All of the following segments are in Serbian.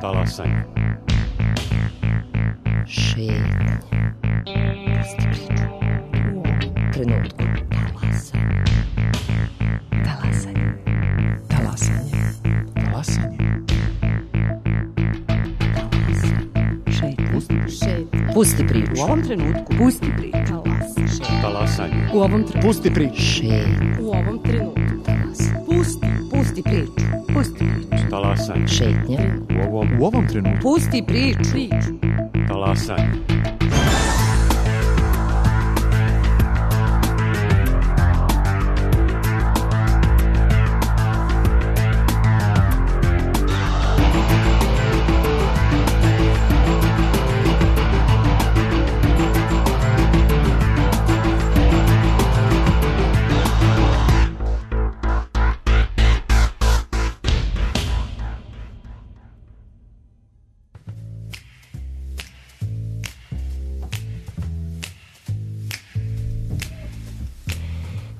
Talasanje. Šetnje. Pusti priču. U ovom trenutku. Talasanje. Talasanje. Talasanje. Šetnje. Pusti priču. U ovom trenutku. Pusti priču. Talasanje. U ovom trenutku. Pusti priču. Šetnje. U ovom trenutku. Pusti priču. Pusti priču. Talasanje. Šetnje. U ovom trenutku. Pusti priču. Talasanje.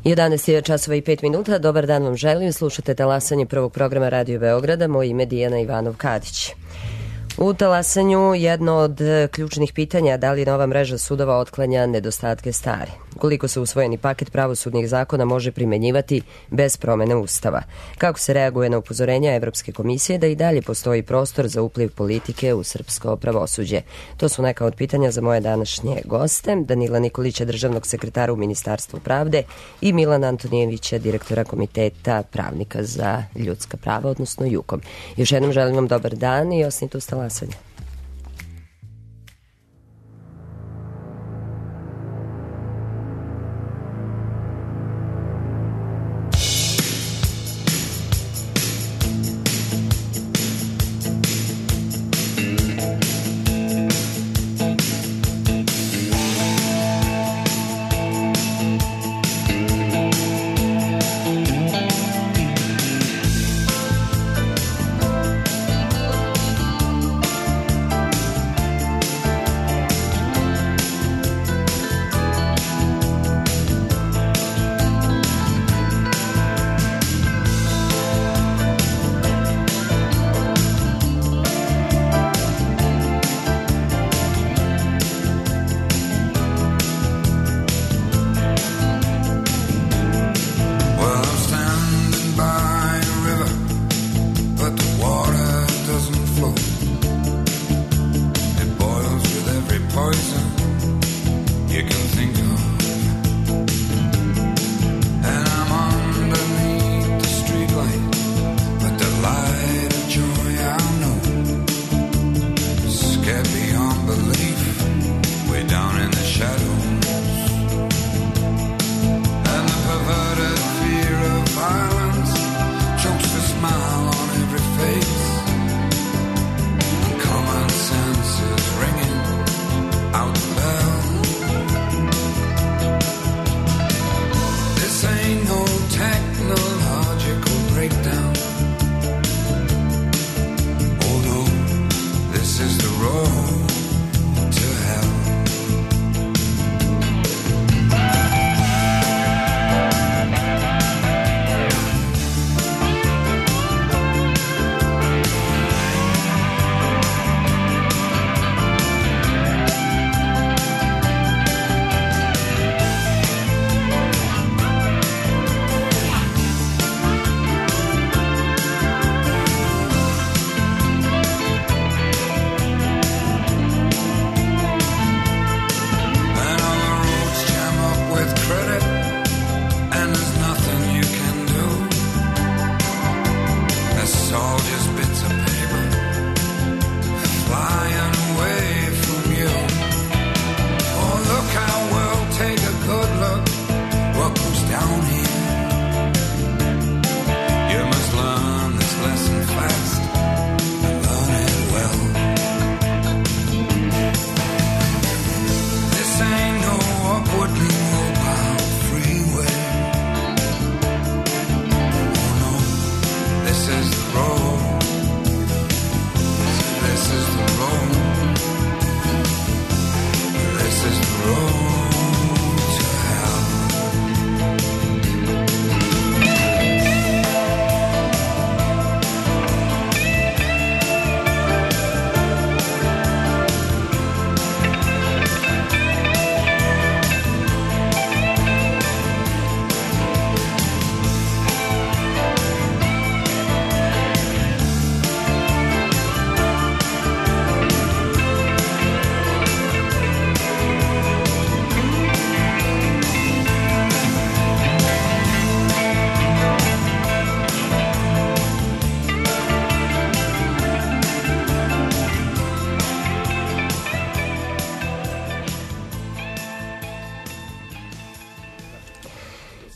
Jedanaest je časova i 5 minuta. Dobar dan vam želim. Slušate talasanje prvog programa Radio Beograda. Moje ime je Dijana Ivanov-Kadić. U talasanju jedno od ključnih pitanja da li nova mreža sudova otklanja nedostatke stare. Koliko se usvojeni paket pravosudnih zakona može primenjivati bez promene Ustava. Kako se reaguje na upozorenja Evropske komisije da i dalje postoji prostor za upliv politike u srpsko pravosuđe. To su neka od pitanja za moje današnje goste. Danila Nikolića, državnog sekretara u Ministarstvu pravde i Milana Antonijevića, direktora Komiteta pravnika za ljudska prava, odnosno JUKOM. Još jednom želim vam dobar dan i osnite uz talasanje.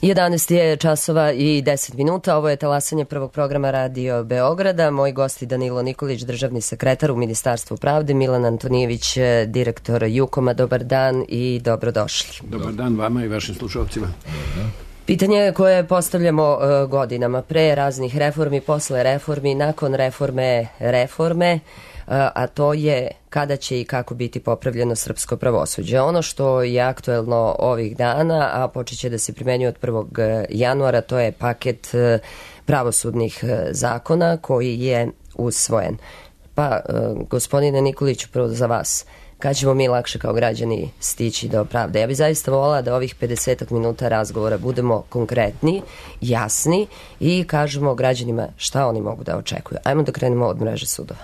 11 je časova i 10 minuta. Ovo je talasanje prvog programa Radio Beograda. Moji gosti Danilo Nikolić, državni sekretar u Ministarstvu pravde, Milan Antonijević, direktor Jukoma. Dobar dan i dobrodošli. Dobar dan vama i vašim slušalcima. Pitanje koje postavljamo godinama, pre raznih reformi, posle reformi, nakon reforme, a to je kada će i kako biti popravljeno srpsko pravosuđe. Ono što je aktuelno ovih dana, a počet će da se primenjuje od 1. januara, to je paket pravosudnih zakona koji je usvojen. Pa, gospodine Nikoliću, prvo za vas, kada ćemo mi lakše kao građani stići do pravde? Ja bih zaista volila da ovih 50 minuta razgovora budemo konkretni, jasni i kažemo građanima šta oni mogu da očekuju. Ajmo da krenemo od mreže sudova.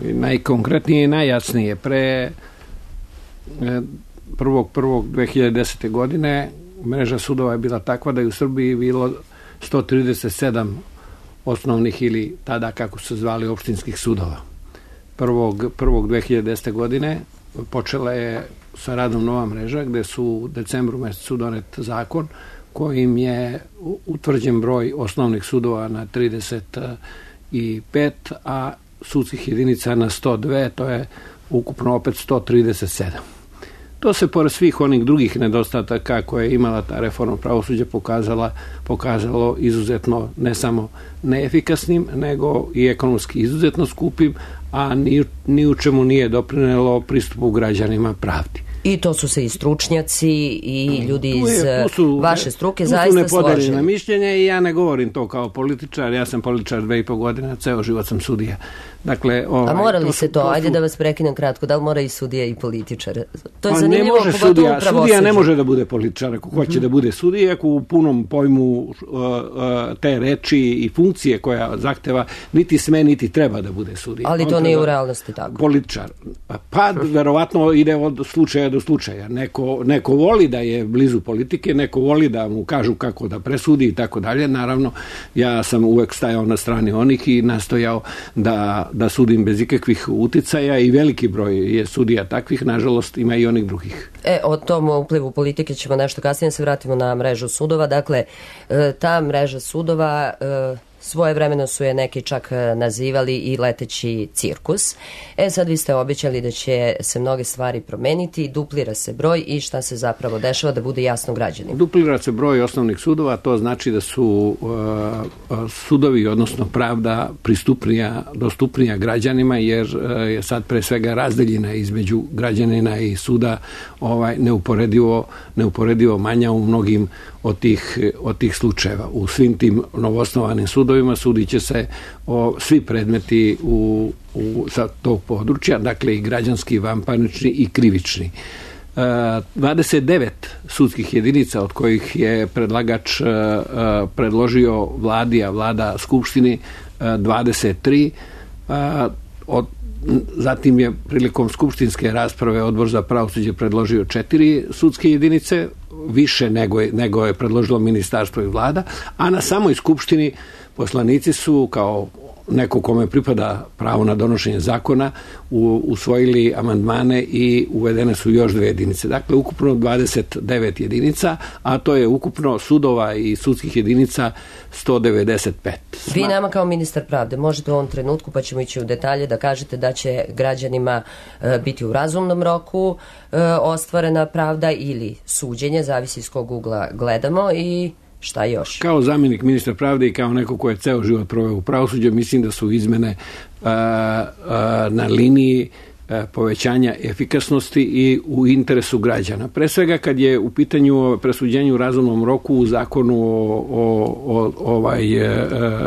Najkonkretnije i najjasnije. Pre 1.1.2010. godine mreža sudova je bila takva da je u Srbiji bilo 137 osnovnih ili tada kako su zvali opštinskih sudova. 1.1.2010. godine počela je sa radom nova mreža gde su u decembru mesecu donet zakon kojim je utvrđen broj osnovnih sudova na 35, a sudskih jedinica na 102, to je ukupno opet 137. To se pored svih onih drugih nedostataka koje je imala ta reforma pravosuđa pokazalo izuzetno ne samo neefikasnim, nego i ekonomski izuzetno skupim, a ni u čemu nije doprinelo pristupu građanima pravdi. I to su se i stručnjaci i ljudi iz vaše struke zaista složili. Tu su nepodeljena mišljenja i ja ne govorim to kao političar, ja sam političar 2,5 godine, ceo život sam sudija. Dakle, a mora li se to? Ajde da vas prekinem kratko, da li mora i sudija i političar? To je zanimljivo, pogotovo u pravosuđu. Sudija ne može da bude političar ako hoće da bude sudija, ako u punom pojmu te reči i funkcije koja zahteva niti sme, niti treba da bude sudija. Ali to nije u realnosti tako. Političar. Pa, verovatno ide od slučaja do slučaja. Neko voli da je blizu politike, neko voli da mu kažu kako da presudi i tako dalje. Naravno, ja sam uvek stajao na strani onih i nastojao da sudim bez ikakvih uticaja i veliki broj je sudija takvih, nažalost ima i onih drugih. O tom uplivu politike ćemo nešto kasnije, se vratimo na mrežu sudova. Dakle, ta mreža sudova svojevremeno su je neki čak nazivali i leteći cirkus. Sad vi ste obećali da će se mnoge stvari promeniti, duplira se broj i šta se zapravo dešava, da bude jasno građanima. Duplira se broj osnovnih sudova, to znači da su sudovi, odnosno pravda, dostupnija građanima, jer je sad pre svega razdeljena između građanina i suda neuporedivo manja u mnogim od tih slučajeva. U svim tim novoosnovanim sudovima sudit će se svi predmeti sa tog područja, dakle i građanski, i vanparnični i krivični. 29 sudskih jedinica, od kojih je predlagač predložio vladi, a vlada skupštini 23, zatim je prilikom skupštinske rasprave Odbor za pravosuđe predložio 4 sudske jedinice, više nego je predložilo ministarstvo i vlada, a na samoj skupštini poslanici su, kao neko kome pripada pravo na donošenje zakona, usvojili amandmane i uvedene su još 2 jedinice. Dakle, ukupno 29 jedinica, a to je ukupno sudova i sudskih jedinica 195. Vi nama kao ministar pravde možete u ovom trenutku, pa ćemo ići u detalje, da kažete da će građanima biti u razumnom roku ostvarena pravda ili suđenje, zavisi iz kog ugla gledamo, i šta još? Kao zamjenik ministra pravde i kao neko ko je ceo život proveo u pravosuđu, mislim da su izmene na liniji povećanja efikasnosti i u interesu građana. Pre svega kad je u pitanju presuđenju u razumnom roku u zakonu o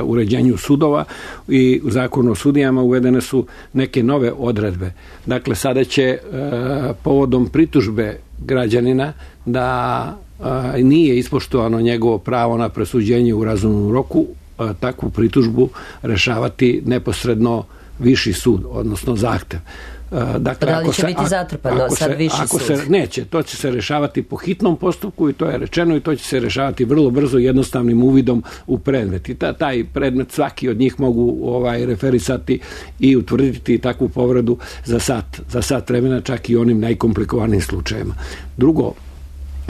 uređenju sudova i u zakonu o sudijama uvedene su neke nove odredbe. Dakle, sada će povodom pritužbe građanina da nije ispoštovano njegovo pravo na presuđenje u razumnom roku, takvu pritužbu rešavati neposredno viši sud, odnosno zahtev. Dakle, da li će biti zatrpano sad viši sud? Neće, to će se rešavati po hitnom postupku i to je rečeno, i to će se rešavati vrlo brzo jednostavnim uvidom u predmet. I taj predmet svaki od njih mogu referisati i utvrditi takvu povredu za sat vremena, čak i onim najkomplikovanijim slučajima. Drugo,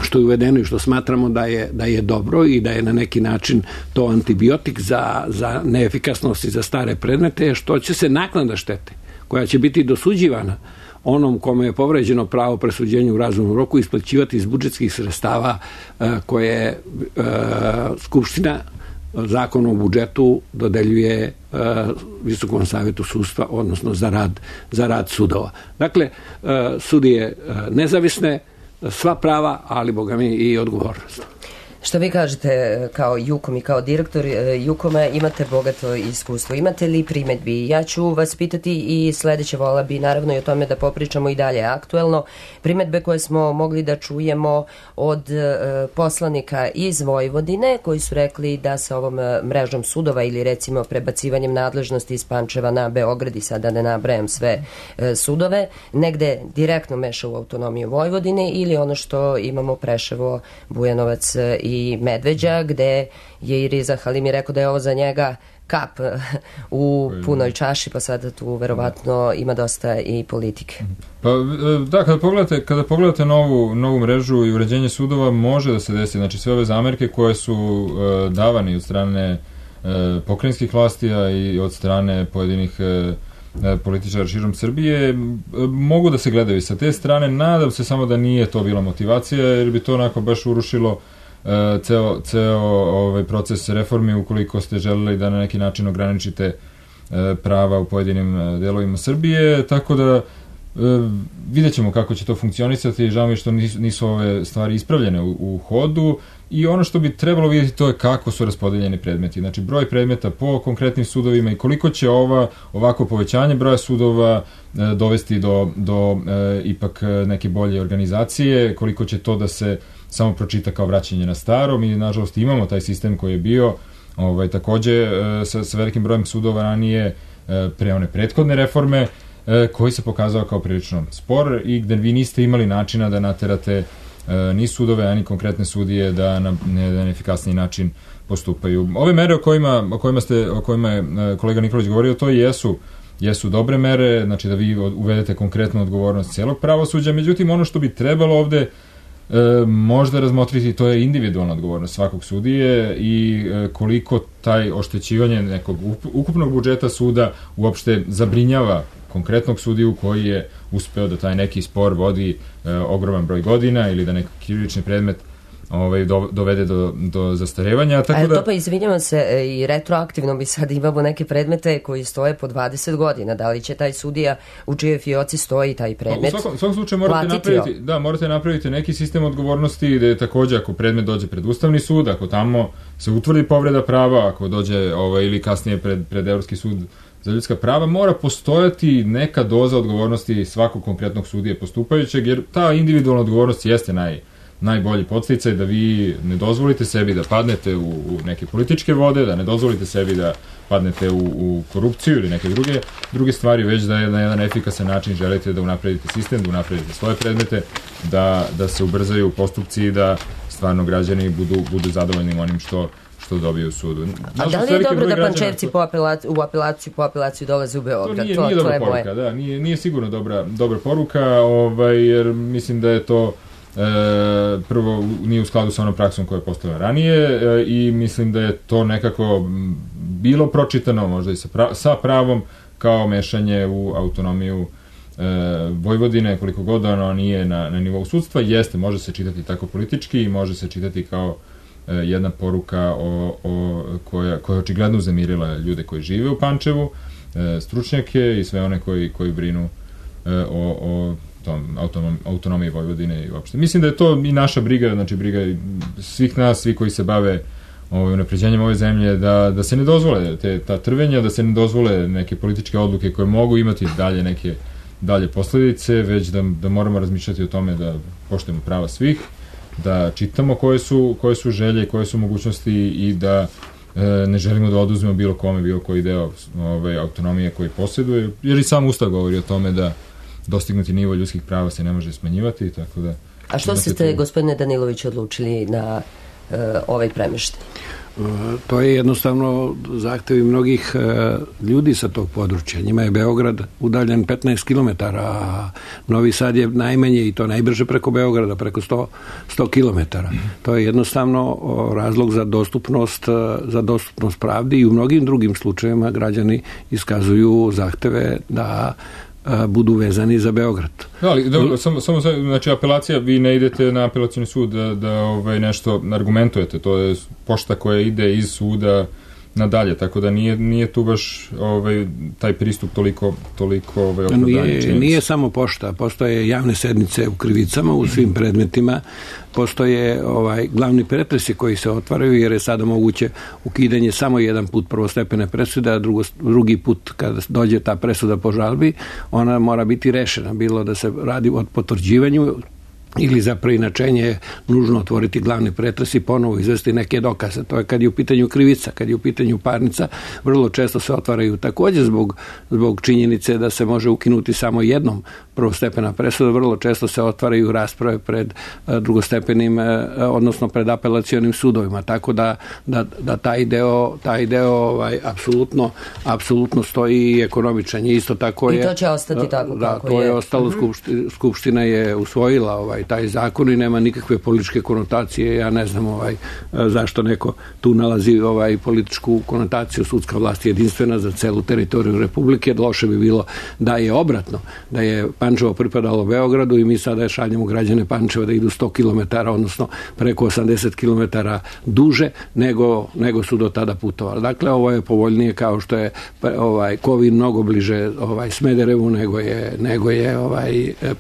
što je uvedeno i što smatramo da je dobro i da je na neki način to antibiotik za neefikasnost i za stare predmete, što će se naknada štete, koja će biti dosuđivana onom kome je povređeno pravo presuđenja u razumnom roku, isplaćivati iz budžetskih sredstava koje Skupština Zakonom o budžetu dodeljuje Visokom savetu sudstva, odnosno za rad sudova. Dakle, sudije nezavisne, sva prava, ali boga mi i odgovornost. Što vi kažete kao Jukom i kao direktor Jukoma, imate bogato iskustvo. Imate li primedbi? Ja ću vas pitati i sledeće, vola bi naravno i o tome da popričamo i dalje aktuelno. Primedbe koje smo mogli da čujemo od poslanika iz Vojvodine, koji su rekli da sa ovom mrežom sudova ili recimo prebacivanjem nadležnosti iz Pančeva na Beograd, i sada ne nabrajam sve sudove, negde direktno meša u autonomiju Vojvodine, ili ono što imamo Preševo, Bujanovac i Medveđa, gde je i Riza Halimi rekao da je ovo za njega kap u punoj čaši, pa sada tu verovatno ima dosta i politike. Pa da, kada pogledate novu mrežu i uređenje sudova, može da se desi, znači sve ove zamerke koje su davani od strane pokrajinskih vlastija i od strane pojedinih političara širom Srbije, mogu da se gledaju sa te strane. Nadam se samo da nije to bila motivacija, jer bi to onako baš urušilo ceo ovaj proces reformi, ukoliko ste želeli da na neki način ograničite prava u pojedinim delovima Srbije, tako da vidjet ćemo kako će to funkcionisati. Žao mi je što nisu ove stvari ispravljene u hodu, i ono što bi trebalo vidjeti to je kako su raspodeljeni predmeti, znači broj predmeta po konkretnim sudovima i koliko će ovako povećanje broja sudova dovesti do ipak neke bolje organizacije, koliko će to da se samo pročita kao vraćanje na staro. Mi nažalost imamo taj sistem koji je bio takođe sa velikim brojem sudova ranije pre one prethodne reforme, koji se pokazao kao prilično spor i gde vi niste imali načina da naterate ni sudove, ani konkretne sudije da na efikasniji način postupaju. Ove mere o kojima je kolega Nikolić govorio, to jesu dobre mere, znači da vi uvedete konkretnu odgovornost celog pravosuđa, međutim ono što bi trebalo ovde možda razmotriti, to je individualna odgovornost svakog sudije i koliko taj oštećivanje nekog ukupnog budžeta suda uopšte zabrinjava konkretnog sudiju koji je uspeo da taj neki spor vodi ogroman broj godina ili da neki krivični predmet dovede do zastarevanja. Tako da... To pa izvinjavam se, i retroaktivno mi sad imamo neke predmete koji stoje po 20 godina. Da li će taj sudija u čijoj fioci stoji taj predmet u svakom slučaju morate napraviti neki sistem odgovornosti, gde takođe ako predmet dođe pred Ustavni sud, ako tamo se utvrdi povreda prava, ako dođe ili kasnije pred Evropski sud za ljudska prava, mora postojati neka doza odgovornosti svakog konkretnog sudije postupajućeg, jer ta individualna odgovornost jeste najbolji podsticaj da vi ne dozvolite sebi da padnete u neke političke vode, da ne dozvolite sebi da padnete u korupciju ili neke druge stvari, već da na jedan efikasan način želite da unapredite sistem, da unapredite svoje predmete, da se ubrzaju postupci i da stvarno građani budu zadovoljni onim što dobiju u sudu. A da li je dobro da Pančevci po apelaciju dolaze u Beograd? To nije dobra poruka, da, nije sigurno dobra poruka, jer mislim da je to prvo nije u skladu sa onom praksom koja je postojala ranije i mislim da je to nekako bilo pročitano možda i sa pravom kao mešanje u autonomiju Vojvodine, koliko god ono nije na nivou sudstva. Jeste, može se čitati tako politički i može se čitati kao jedna poruka koja je očigledno uzemirila ljude koji žive u Pančevu, stručnjake i sve one koji brinu o autonomiji Vojvodine i uopšte. Mislim da je to i naša briga, znači briga svih nas, svi koji se bave unapređenjem ove zemlje, da se ne dozvole ta trvenja, da se ne dozvole neke političke odluke koje mogu imati dalje posledice, već da moramo razmišljati o tome da poštujemo prava svih, da čitamo koje su želje, koje su mogućnosti i da ne želimo da oduzmemo bilo kome, bilo koji deo autonomije koji posjeduje, jer i sam Ustav govori o tome da dostignuti nivo ljudskih prava se ne može smanjivati, tako da... A što ste, gospodine Danilović, odlučili na ovaj premeštaj? To je jednostavno zahtevi mnogih ljudi sa tog područja. Njima je Beograd udaljen 15 km, a Novi Sad je najmanje i to najbrže preko Beograda, preko 100 km. To je jednostavno razlog za dostupnost pravdi i u mnogim drugim slučajevima građani iskazuju zahteve da budu vezani za Beograd. Ali, dobro, samo znači apelacija, vi ne idete na apelacioni sud da nešto argumentujete, to je pošta koja ide iz suda nadalje, tako da nije tu baš taj pristup toliko opravdanje. Nije samo pošta, postoje javne sednice u krivicama u svim predmetima, postoje glavni pretresi koji se otvaraju, jer je sada moguće ukidanje samo jedan put prvostepene presude, a drugi put kada dođe ta presuda po žalbi, ona mora biti rešena, bilo da se radi o potvrđivanju ili za preinačenje je nužno otvoriti glavni pretres i ponovo izvesti neke dokaze. To je kad je u pitanju krivica, kad je u pitanju parnica, vrlo često se otvaraju također zbog činjenice da se može ukinuti samo jednom prvostepena presuda, vrlo često se otvaraju rasprave pred drugostepenim, odnosno pred apelacionim sudovima, tako da taj deo apsolutno stoji i ekonomičan je. Isto tako je. I to će ostati tako kako je. To je ostalo, Skupština je usvojila taj zakon i nema nikakve političke konotacije. Ja ne znam zašto neko tu nalazi političku konotaciju. Sudska vlast je jedinstvena za celu teritoriju Republike. Loše bi bilo da je obratno, da je Pančevo pripadalo Beogradu i mi sada šaljemo građane Pančeva da idu 100 km, odnosno preko 80 km duže nego su do tada putovali. Dakle, ovo je povoljnije, kao što je Kovin mnogo bliže Smederevu nego je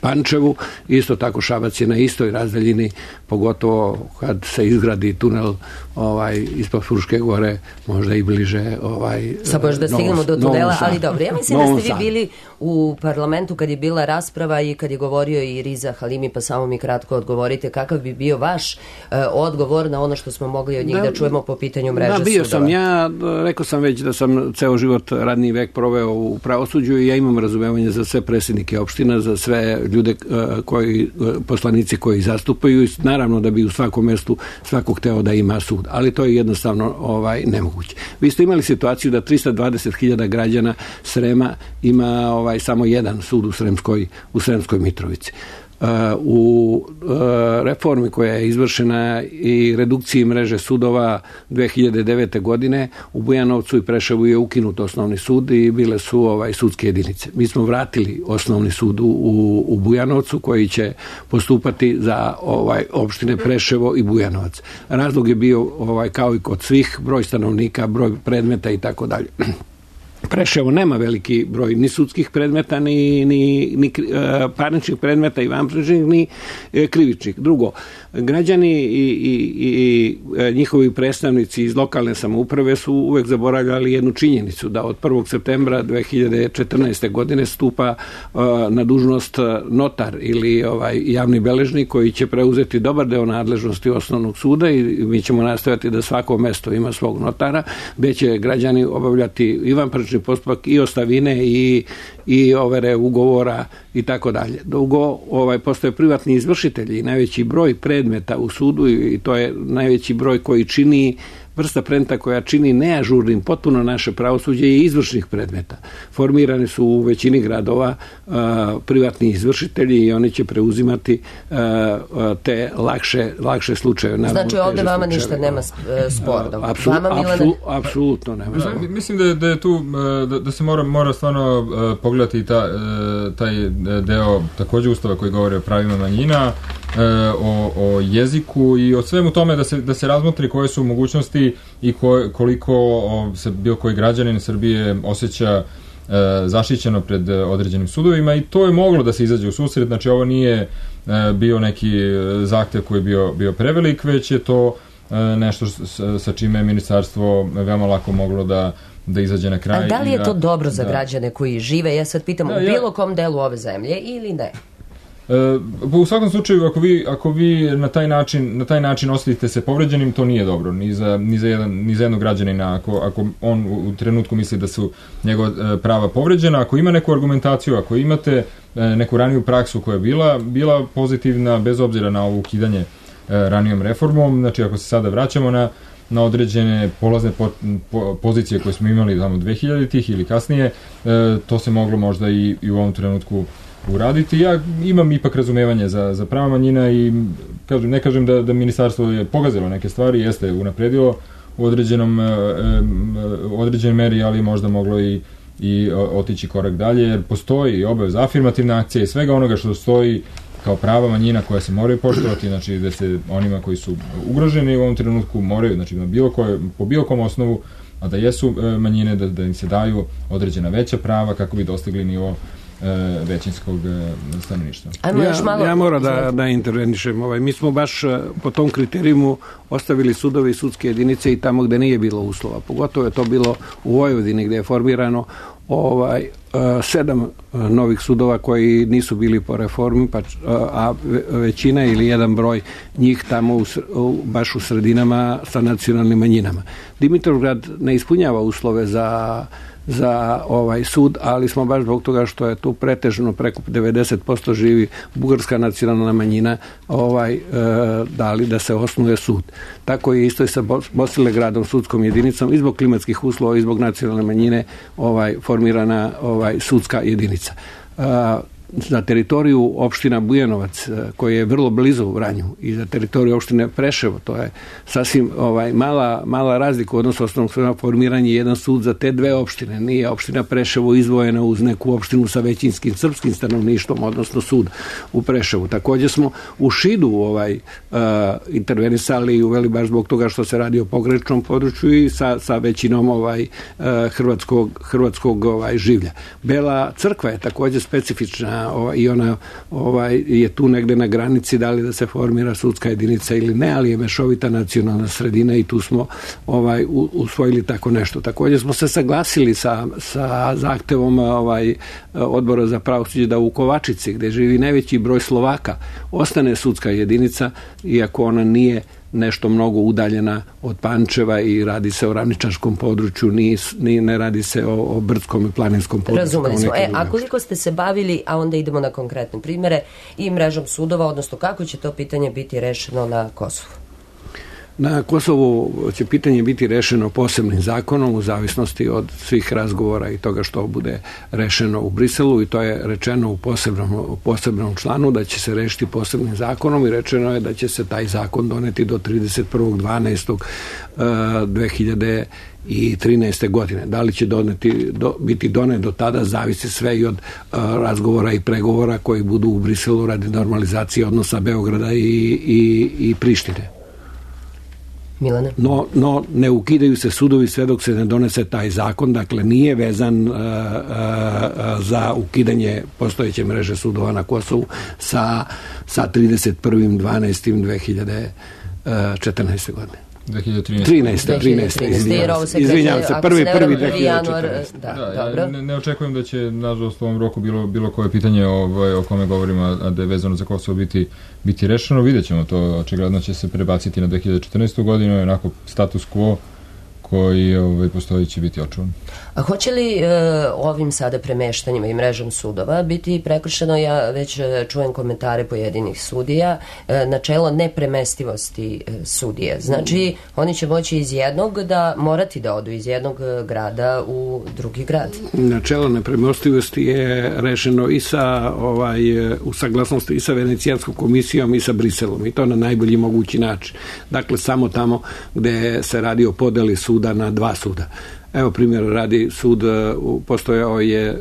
Pančevu. Isto tako Šabac je na istoj razdaljini, pogotovo kad se izgradi tunel ispod Fruške gore, možda i bliže sad možda stignemo do tunela, ali dobro, ja mislim da ste vi bili u parlamentu kad je bila rasprava i kad je govorio i Riza Halimi, pa samo mi kratko odgovorite kakav bi bio vaš odgovor na ono što smo mogli od njih da čujemo po pitanju mreže sudova. Bio sam ja, rekao sam već da sam ceo život, radni vek proveo u pravosuđu i ja imam razumevanje za sve predsjednike opština, za sve ljude poslanici koji zastupaju, naravno da bi u svakom mestu svako hteo da ima sud, ali to je jednostavno nemoguće. Vi ste imali situaciju da 320.000 građana Srema ima samo jedan sud u Sremskoj Mitrovici. U reformi koja je izvršena i redukciji mreže sudova 2009. godine u Bujanovcu i Preševu je ukinut osnovni sud i bile su sudske jedinice. Mi smo vratili osnovni sud u Bujanovcu koji će postupati za opštine Preševo i Bujanovac. Razlog je bio kao i kod svih, broj stanovnika, broj predmeta i tako dalje. Preševo nema veliki broj ni sudskih predmeta, ni parničnih predmeta i vanparničnih, ni krivičnih. Drugo, građani i njihovi predstavnici iz lokalne samouprave su uvek zaboravljali jednu činjenicu, da od 1. septembra 2014. godine stupa na dužnost notar ili javni beležnik koji će preuzeti dobar deo nadležnosti osnovnog suda i mi ćemo nastojati da svako mesto ima svog notara, gde će građani obavljati i vanparnični postupak i ostavine i overe ugovora i tako dalje. Drugo, postoje privatni izvršitelji i najveći broj predmeta u sudu i to je najveći broj koji čini vrsta predmeta koja čini neažurnim potpuno naše pravosuđe i izvršnih predmeta. Formirani su u većini gradova privatni izvršitelji i oni će preuzimati te lakše slučajeve. Znači ovdje vama ništa nema sporno. Apsolutno nema. Mislim da je tu, da se mora stvarno pogledati taj deo također Ustava koji govori o pravima manjina, o jeziku i o svemu tome da se razmotri koje su mogućnosti i koliko se bilo koji građanin Srbije osjeća zaštićeno pred određenim sudovima i to je moglo da se izađe u susret, znači ovo nije bio neki zahtev koji je bio prevelik, već je to nešto sa čime je ministarstvo veoma lako moglo da izađe na kraj. A da li je to dobro za građane koji žive, ja sad pitam, u bilo kom delu ove zemlje ili ne? U svakom slučaju, ako vi na taj način osetite se povređenim, to nije dobro ni za jednog građanina. Ako on u trenutku misli da su njegova prava povređena, ako ima neku argumentaciju, ako imate neku raniju praksu koja je bila pozitivna, bez obzira na ovo ukidanje ranijom reformom, znači ako se sada vraćamo na određene polazne pozicije koje smo imali tamo 2000-ih ili kasnije, to se moglo možda i u ovom trenutku uraditi. Ja imam ipak razumevanje za prava manjina i ne kažem da ministarstvo je pogazilo neke stvari, jeste unapredilo u određenoj meri, ali možda moglo i otići korak dalje, jer postoji obaveza afirmativne akcije i svega onoga što stoji kao prava manjina koja se moraju poštovati, znači da se onima koji su ugroženi u ovom trenutku moraju, znači po bilo kom osnovu, a da jesu manjine, da im se daju određena veća prava kako bi dostigli nivo većinskog stanovništva. Ja moram da intervenišem. Mi smo baš po tom kriterijumu ostavili sudove i sudske jedinice i tamo gde nije bilo uslova. Pogotovo je to bilo u Vojvodini gde je formirano 7 novih sudova koji nisu bili po reformi, a većina ili jedan broj njih tamo baš u sredinama sa nacionalnim manjinama. Dimitrovgrad ne ispunjava uslove za sud, ali smo baš zbog toga što je tu pretežno preko 90% živi bugarska nacionalna manjina dali da se osnuje sud. Tako je isto i sa Bosilegradom sudskom jedinicom i zbog klimatskih uslova i zbog nacionalne manjine formirana sudska jedinica. Za teritoriju opština Bujanovac, koji je vrlo blizu Vranju, i za teritoriju opštine Preševo, to je sasvim mala razlika u odnosu osnovnog formiranja jedan sud za te dve opštine. Nije opština Preševo izdvojena uz neku opštinu sa većinskim srpskim stanovništvom, odnosno sud u Preševu. Također smo u Šidu intervenisali i uveli baš zbog toga što se radi o pograničnom području i sa većinom hrvatskog življa. Bela Crkva je također specifična i ona je tu negde na granici da li da se formira sudska jedinica ili ne, ali je mešovita nacionalna sredina i tu smo usvojili tako nešto. Također smo se saglasili sa zahtevom Odbora za pravosuđe da u Kovačici, gde živi najveći broj Slovaka, ostane sudska jedinica, iako ona nije nešto mnogo udaljena od Pančeva i radi se o ravničarskom području, ne radi se o brdskom i planinskom području. Razumeli smo. A koliko ste se bavili, a onda idemo na konkretne primere, i mrežom sudova, odnosno kako će to pitanje biti rešeno na Kosovu? Na Kosovu će pitanje biti rešeno posebnim zakonom u zavisnosti od svih razgovora i toga što bude rešeno u Briselu, i to je rečeno u posebnom članu da će se rešiti posebnim zakonom, i rečeno je da će se taj zakon doneti do 31.12.2013. godine. Da li će biti donet do tada, zavisi sve i od razgovora i pregovora koji budu u Briselu radi normalizacije odnosa Beograda i Prištine. Milane? No, ne ukidaju se sudovi sve dok se ne donese taj zakon, dakle nije vezan za ukidanje postojeće mreže sudova na Kosovu sa 31.12.2014. godine. 2013. Izvinjavam se, 1.1.2014. Ja ne očekujem da će, nažalost, u ovom roku bilo koje pitanje o kome govorimo, a da je vezano za Kosovo biti rešeno. Vidjet ćemo to, očigledno će se prebaciti na 2014. godinu, i onako status quo koji postoji će biti očuvan. A hoće li ovim sada premeštanjima i mrežom sudova biti prekršeno, ja već čujem komentare pojedinih sudija, načelo nepremestivosti sudije. Znači, oni će moći morati da odu iz jednog grada u drugi grad. Načelo nepremestivosti je rešeno i u saglasnosti i sa Venecijanskom komisijom i sa Briselom, i to na najbolji mogući način. Dakle, samo tamo gde se radi o podeli suda na dva suda. Evo primjer radi sud, postojao je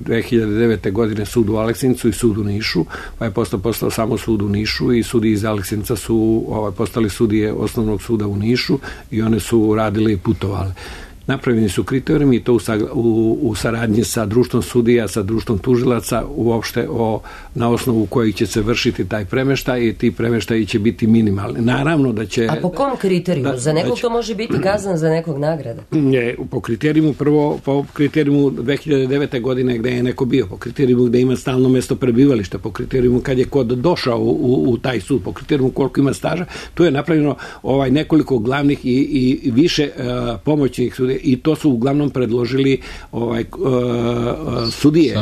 2009. godine sud u Aleksincu i sud u Nišu, pa je postao samo sud u Nišu, i sudi iz Aleksinca su postali sudije osnovnog suda u Nišu i one su radile i putovale. Napravljeni su kriterijumi i to u saradnji sa društvom sudija, sa društvom tužilaca, uopšte na osnovu kojih će se vršiti taj premeštaj, i ti premeštaji će biti minimalni. Naravno da će... A po kom kriterijumu? Za nekog to može biti kazna, za nekog nagrada? Ne, po kriterijumu 2009. godine gde je neko bio, po kriterijumu gde ima stalno mesto prebivališta, po kriterijumu kad je kod došao u taj sud, po kriterijumu koliko ima staža. Tu je napravljeno nekoliko glavnih i više pomoćnih sudija. i to su uglavnom predložili sudije,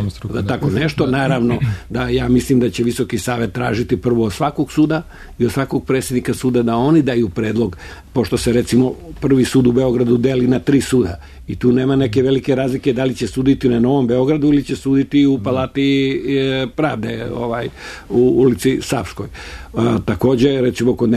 tako nešto. Naravno da ja mislim da će Visoki savet tražiti prvo od svakog suda i od svakog predsjednika suda da oni daju predlog, pošto se recimo prvi sud u Beogradu deli na 3 suda i tu nema neke velike razlike da li će suditi na Novom Beogradu ili će suditi u Palati pravde, u ulici Savskoj. Takođe, recimo kod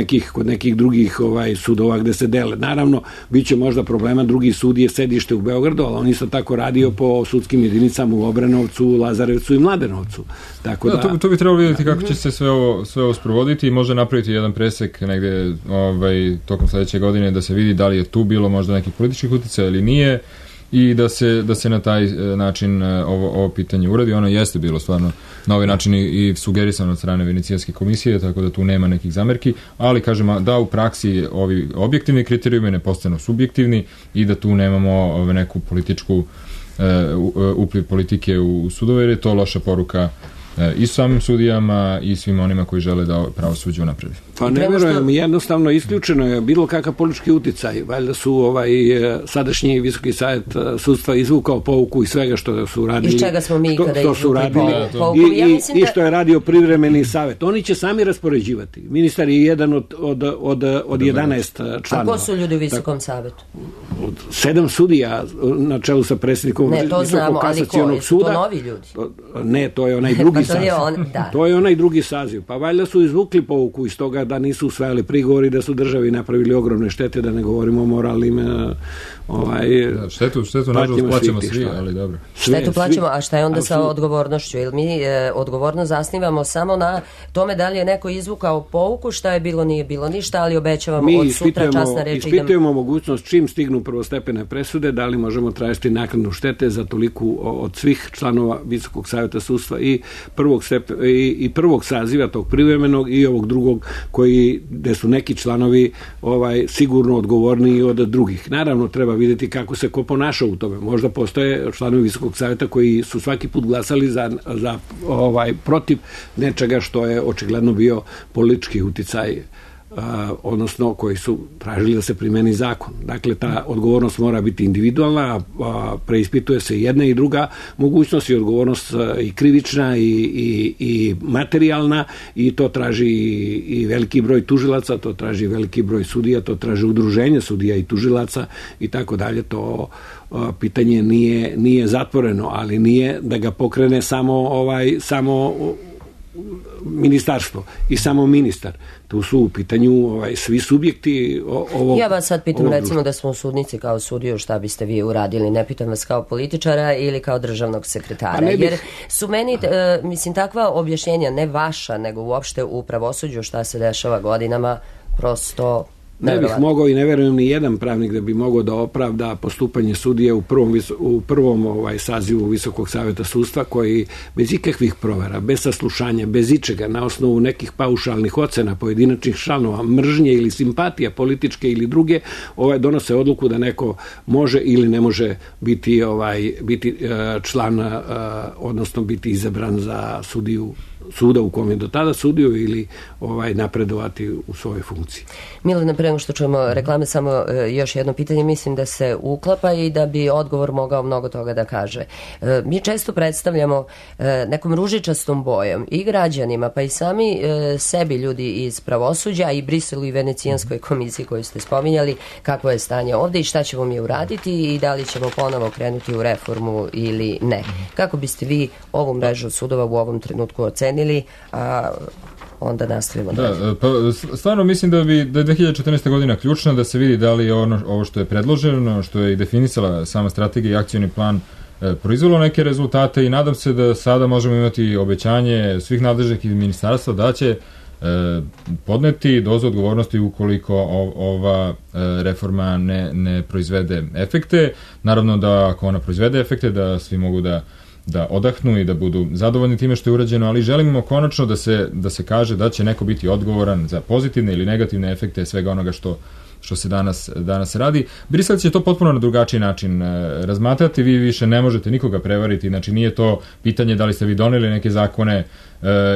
nekih drugih sudova gde se dele. Naravno, bit će možda problema, drugi sud je sedište u Beogradu, ali on isto tako radio po sudskim jedinicama u Obrenovcu, Lazarevcu i Mladenovcu. Tako da, to bi trebalo vidjeti kako će se sve ovo sprovoditi i može napraviti jedan presek negde tokom sledeće godine da se vidi da li je tu bilo možda nekih političkih uticaja ili nije i da se na taj način ovo pitanje uradi. Ono jeste bilo stvarno na ovaj način i sugerisano od strane Venecijanske komisije, tako da tu nema nekih zamerki, ali kažemo da u praksi ovi objektivni kriterijumi ne postanu subjektivni i da tu nemamo neku političku upliv politike u sudove, jer je to loša poruka i samim sudijama i svim onima koji žele da pravosuđe unapredi. Pa ne verujem, jednostavno isključeno je bilo kakav politički uticaj. Valjda su sadašnji Visoki savet sudstva izvukao pouku i svega što su radili. Iz čega smo mi kada izvukli pouku? I što je radio privremeni savet. Oni će sami raspoređivati. Ministar je jedan od 11 članova. A ko su ljudi u Visokom savetu? 7 sudija na čelu sa predsjednikom Visokog kasacionog suda. To novi ljudi? Ne, to je onaj drugi saziv. To je onaj drugi saziv. Pa valjda su izvukli pouku iz toga da nisu usvajali prigovori, da su državi napravili ogromne štete, da ne govorimo o moralnim štetu nažalost plaćamo svi, ali dobro. Štetu plaćamo, a šta je onda sa odgovornošću? Jer mi odgovorno zasnivamo samo na tome da li je neko izvukao pouku, šta je bilo, nije bilo ništa, ali obećavamo od sutra časna reč. Mi ispitujemo mogućnost čim stignu prvostepene presude, da li možemo tražiti naknadu štete za toliku od svih članova Visokog saveta sudstva i prvog saziva tog privremenog i ovog drugog gde su neki članovi sigurno odgovorniji od drugih. Naravno, treba vidjeti kako se ko ponaša u tome. Možda postoje članovi Visokog saveta koji su svaki put glasali protiv nečega što je očigledno bio politički uticaj, odnosno koji su tražili da se primeni zakon. Dakle, ta odgovornost mora biti individualna, preispituje se jedna i druga mogućnost i odgovornost i krivična i materijalna i to traži i veliki broj tužilaca, to traži veliki broj sudija, to traži udruženje sudija i tužilaca i tako dalje. To pitanje nije zatvoreno, ali nije da ga pokrene samo ministarstvo i samo ministar. Tu su u pitanju svi subjekti ovog. Ja vas sad pitam, recimo da smo u sudnici kao sudiju, šta biste vi uradili? Ne pitam vas kao političara ili kao državnog sekretara. Jer su meni, mislim, takva objašnjenja, ne vaša, nego uopšte u pravosuđu šta se dešava godinama, prosto ne bih mogao i ne verujem ni jedan pravnik da bi mogao da opravda postupanje sudije u prvom sazivu Visokog saveta sudstva koji bez ikakvih provera, bez saslušanja, bez ičega, na osnovu nekih paušalnih ocena pojedinačnih članova, mržnje ili simpatija političke ili druge, donose odluku da neko može ili ne može biti član, odnosno biti izabran za sudiju suda u kom je do tada sudio ili napredovati u svojoj funkciji. Milena, pre nego što čujemo reklame, samo još jedno pitanje, mislim da se uklapa i da bi odgovor mogao mnogo toga da kaže. Mi često predstavljamo nekom ružičastom bojom i građanima, pa i sami sebi ljudi iz pravosuđa i Briselu i Venecijanskoj komisiji koju ste spominjali, kakvo je stanje ovde i šta ćemo mi uraditi i da li ćemo ponovo krenuti u reformu ili ne. Kako biste vi ovu mrežu sudova u ovom trenutku ocenili, a onda nastavimo dalje? Pa stvarno mislim da je 2014. godina ključna, da se vidi da li je ovo što je predloženo, što je i definisala sama strategija i akcioni plan proizvelo neke rezultate i nadam se da sada možemo imati obećanje svih nadležnih ministarstva da će podneti dozu odgovornosti ukoliko ova reforma ne proizvede efekte. Naravno da ako ona proizvede efekte, da svi mogu da odahnu i da budu zadovoljni time što je urađeno, ali želimo konačno da se kaže da će neko biti odgovoran za pozitivne ili negativne efekte svega onoga što se danas radi. Brisel će to potpuno na drugačiji način razmatrati, vi više ne možete nikoga prevariti, znači nije to pitanje da li ste vi doneli neke zakone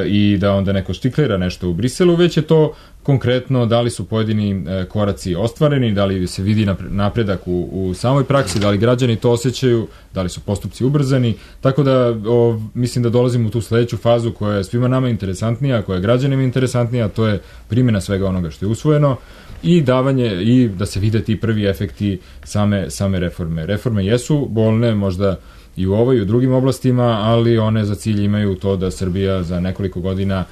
i da onda neko štiklira nešto u Briselu, već je to konkretno da li su pojedini koraci ostvareni, da li se vidi napredak u samoj praksi, da li građani to osjećaju, da li su postupci ubrzani, tako da mislim da dolazimo u tu sledeću fazu koja je svima nama interesantnija, koja je građanima interesantnija, to je primjena svega onoga što je usvojeno i davanje i da se vide ti prvi efekti same reforme. Reforme jesu bolne, možda i u ovoj i u drugim oblastima, ali one za cilj imaju to da Srbija za nekoliko godina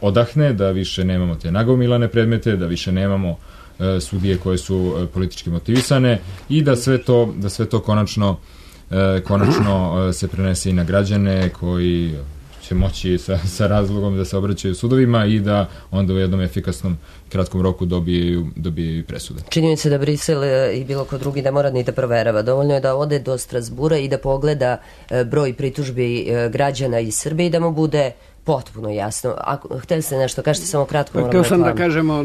odahne, da više nemamo te nagomilane predmete, da više nemamo sudije koje su politički motivisane i da sve to konačno se prenese i na građane koji će moći sa razlogom da se obraćaju sudovima i da onda u jednom efikasnom kratkom roku dobijaju presude. Čini mi se da Brisel i bilo ko drugi ne mora ni da proverava. Dovoljno je da ode do Strasbura i da pogleda broj pritužbi građana iz Srbije i da mu bude potpuno jasno. Hteli ste nešto, kažete samo kratko. Htio sam da kažemo,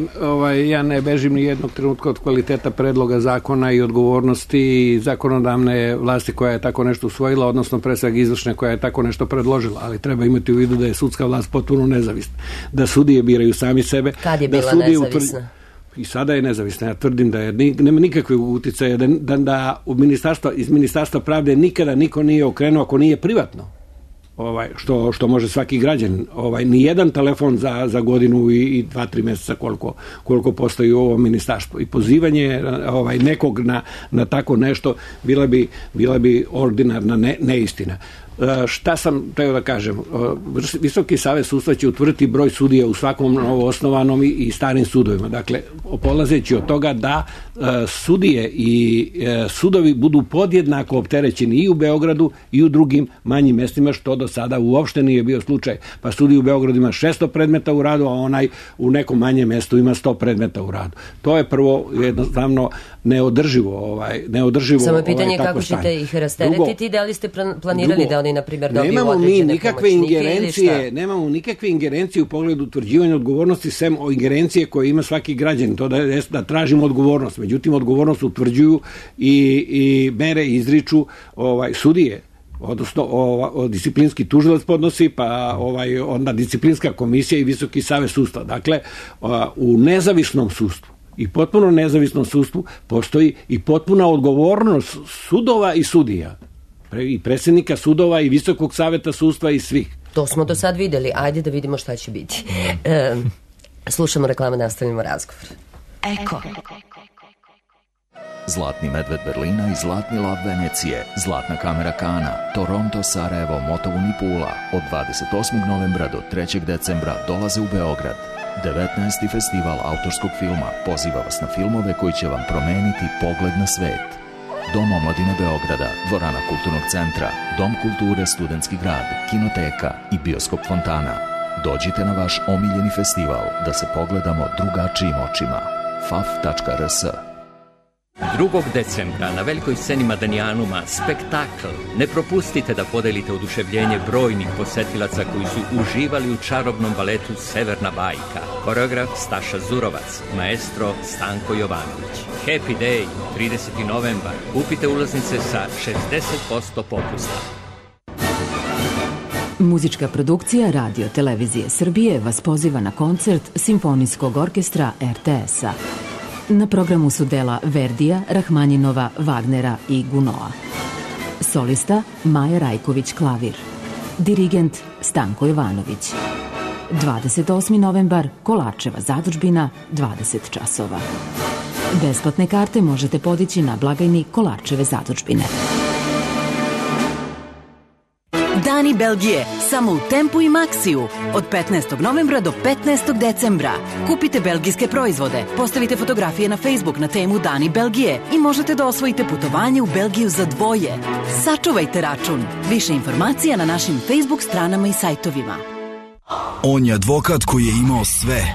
ja ne bežim ni jednog trenutka od kvaliteta predloga zakona i odgovornosti zakonodavne vlasti koja je tako nešto usvojila, odnosno pre svega izvršne koja je tako nešto predložila, ali treba imati u vidu da je sudska vlast potpuno nezavisna. Da sudije biraju sami sebe. Kad je bila nezavisna? I sada je nezavisna. Ja tvrdim da nema nikakve uticaje, da iz Ministarstva pravde nikada niko nije okrenuo ako nije privatno. Što može svaki građanin. Nijedan telefon za godinu i 2-3 meseca koliko postoji u ovom ministarstvu. I pozivanje nekog na tako nešto bila bi ordinarna neistina. Šta sam teo da kažem? Visoki savet sudstva će utvrditi broj sudija u svakom novoosnovanom i starim sudovima. Dakle, polazeći od toga da sudije i sudovi budu podjednako opterećeni i u Beogradu i u drugim manjim mestima, što do sada uopšte nije bio slučaj. Pa sudij u Beogradu ima 600 predmeta u radu, a onaj u nekom manjem mestu ima 100 predmeta u radu. To je prvo jednostavno neodrživo. Samo je pitanje kako ćete ih rasteretiti, da li ste planirali da oni, na primjer, dobiju određene pomoćnike. Nemamo nikakve ingerencije u pogledu utvrđivanja odgovornosti, sem o ingerencije koje ima svaki građanin, to da tražimo odgovornost. Međutim, odgovornost utvrđuju i mere izriču sudije, odnosno disciplinski tužilac podnosi, pa onda disciplinska komisija i Visoki savet sudstva. Dakle, u nezavisnom sudstvu i potpuno nezavisnom sudstvu postoji i potpuna odgovornost sudova i sudija, i predsjednika sudova i Visokog saveta sudstva i svih. To smo do sad videli, ajde da vidimo šta će biti. Slušamo reklamu, nastavimo razgovor. Eko. Zlatni medved Berlina i zlatni lav Venecije, zlatna kamera Kana, Toronto, Sarajevo, Motovun i Pula od 28. novembra do 3. decembra dolaze u Beograd. 19. festival autorskog filma poziva vas na filmove koji će vam promeniti pogled na svet. Dom omladine Beograda, dvorana kulturnog centra, Dom kulture Studentski grad, kinoteka i bioskop Fontana. Dođite na vaš omiljeni festival da se pogledamo drugačijim očima. faf.rs 2. decembra na velikoj sceni Madanijanuma spektakl. Ne propustite da podelite oduševljenje brojnih posetilaca koji su uživali u čarobnom baletu Severna bajka. Koreograf Staša Zurovac, maestro Stanko Jovanović. Happy Day, 30. novembar. Kupite ulaznice sa 60% popusta. Muzička produkcija Radio Televizije Srbije vas poziva na koncert Simfonijskog orkestra RTS-a. Na programu su dela Verdija, Rahmanjinova, Wagnera i Gunoa. Solista Maja Rajković klavir. Dirigent Stanko Jovanović. 28. novembar, Kolarčeva zadužbina, 20 časova. Besplatne karte možete podići na blagajni Kolarčeve zadužbine. Dani Belgije, samo u Tempu i Maxiju. Od 15. novembra do 15. decembra. Kupite belgijske proizvode, postavite fotografije na Facebook na temu Dani Belgije i možete da osvojite putovanje u Belgiju za dvoje. Sačuvajte račun. Više informacija na našim Facebook stranama i sajtovima. On je advokat koji je imao sve,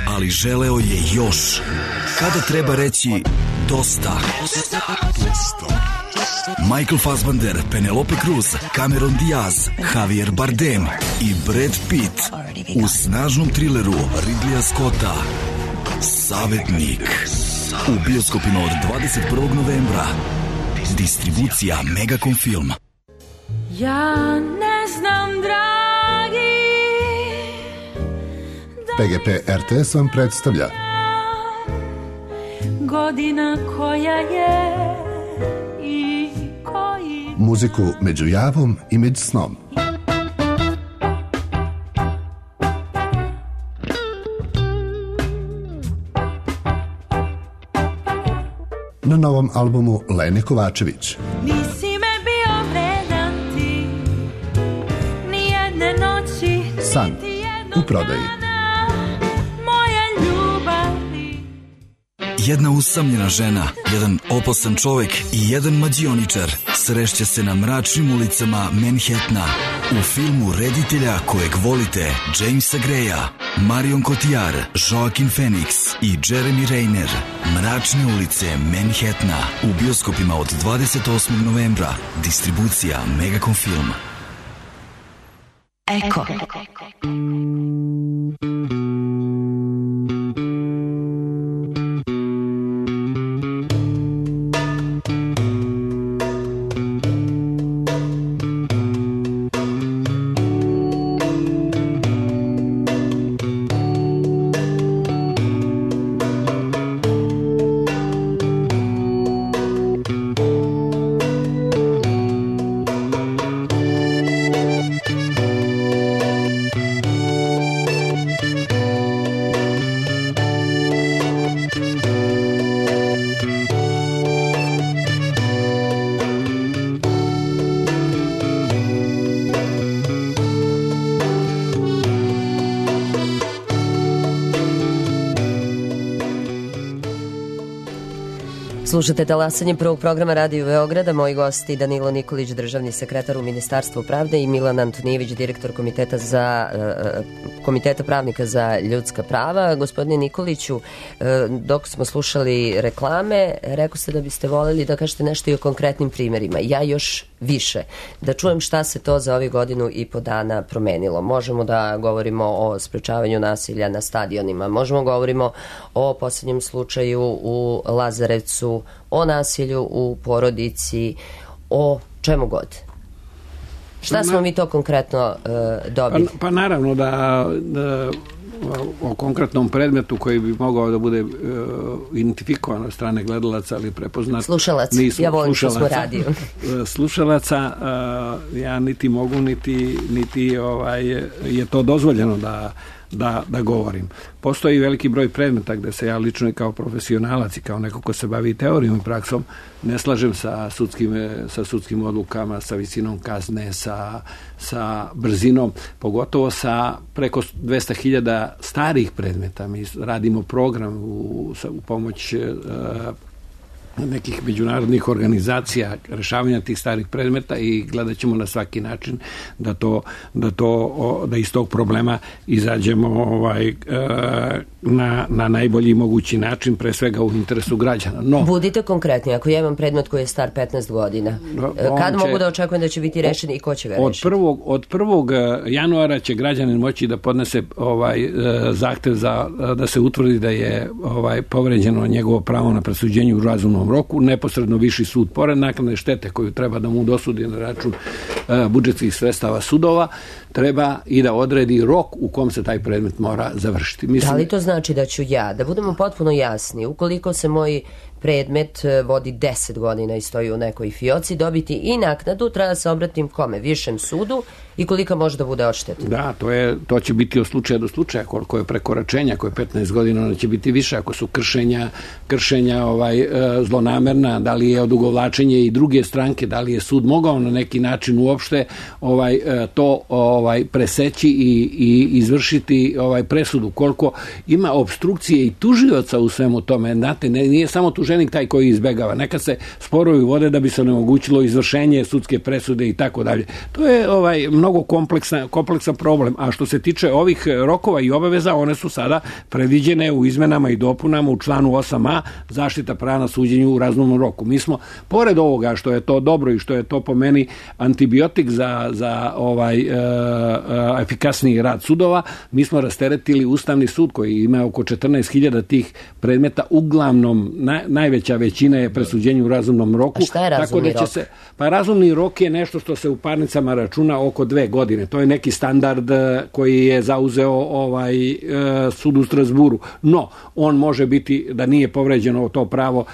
ali želeo je još. Kada treba reći dosta? Michael Fassbender, Penelope Cruz, Cameron Diaz, Javier Bardem i Brad Pitt u snažnom trileru Ridleya Scotta Savetnik u bioskopima od 21. novembra. Distribucija Megacom Film. Ja ne znam, dragi, PGP RTS vam predstavlja godina koja je i koji muziku među javom i među snom. Na novom albumu Lene Kovačević. nisi me bio vredan ti, nijedne noći, San u prodaji. moja ljubavi. Jedna usamljena žena, jedan opasan čovjek i jedan mađioničar srešće se na mračnim ulicama Manhattana u filmu reditelja kojeg volite, Jamesa Greya, Marion Cotillard, Joaquin Phoenix i Jeremy Renner. Mračne ulice Manhattana u bioskopima od 28. novembra. Distribucija Megacom Film. Eko. Slušate talasanje prvog programa Radio Beograda. Moji gosti Danilo Nikolić, državni sekretar u Ministarstvu pravde, i Milan Antonijević, direktor Komiteta pravnika za ljudska prava. Gospodine Nikoliću, dok smo slušali reklame, rekao ste da biste voljeli da kažete nešto i o konkretnim primjerima. Ja još više. Da čujem šta se to za ovih godinu i po dana promenilo. Možemo da govorimo o sprečavanju nasilja na stadionima, možemo govorimo o posljednjem slučaju u Lazarevcu, o nasilju u porodici, o čemu god. Šta smo mi to konkretno dobili? Pa naravno da o konkretnom predmetu koji bi mogao da bude identifikovan od strane gledalaca, ali prepoznat. Slušalac, ja volim što smo radio. Slušalaca, ja niti mogu, niti je to dozvoljeno da govorim. Postoji veliki broj predmeta gde se ja lično i kao profesionalac i kao neko ko se bavi teorijom i praksom ne slažem sa sudskim odlukama, sa visinom kazne, sa brzinom, pogotovo sa preko 200.000 starih predmeta. Mi radimo program u pomoć nekih međunarodnih organizacija rešavanja tih starih predmeta i gledat ćemo na svaki način da iz tog problema izađemo na najbolji mogući način, pre svega u interesu građana. No, budite konkretni, ako ja imam predmet koji je star 15 godina, kad mogu da očekujem da će biti rešen i ko će ga rešiti? Od 1. januara će građanin moći da podnese zahtev da se utvrdi da je povređeno njegovo pravo na presuđenje u razumnom roku, neposredno viši sud, pored naknadne štete koju treba da mu dosudi na račun budžetskih sredstava sudova, treba i da odredi rok u kom se taj predmet mora završiti. Da li to znači da ću ja, da budemo potpuno jasni, ukoliko se moj predmet vodi 10 godina i stoji u nekoj fioci, dobiti i naknadu, treba da se obratim kome? Višem sudu i kolika može da bude odšteta? Da, to će biti od slučaja do slučaja, koliko je prekoračenja, ako je 15 godina, ono će biti više, ako su kršenja zlonamerna, da li je odugovlačenje i druge stranke, da li je sud mogao na neki način uopšte to preseći i izvršiti presudu, koliko ima obstrukcije i tužioca u svemu tome. Znate, nije samo tuženik taj koji izbegava. Nekad se sporovi vode da bi se onemogućilo izvršenje sudske presude i tako dalje. To je mnogo kompleksan problem. A što se tiče ovih rokova i obaveza, one su sada predviđene u izmenama i dopunama u članu 8a, zaštita prava na suđenju u razumnom roku. Mi smo, pored ovoga što je to dobro i što je to po meni antibiotik za efikasniji rad sudova, mi smo rasteretili Ustavni sud koji ima oko 14.000 tih predmeta, uglavnom najveća većina je presuđenje u razumnom roku. A šta je razumni rok? Pa razumni rok je nešto što se u parnicama računa oko 2 godine. To je neki standard koji je zauzeo sud u Strasburu. No, on može biti da nije povređeno to pravo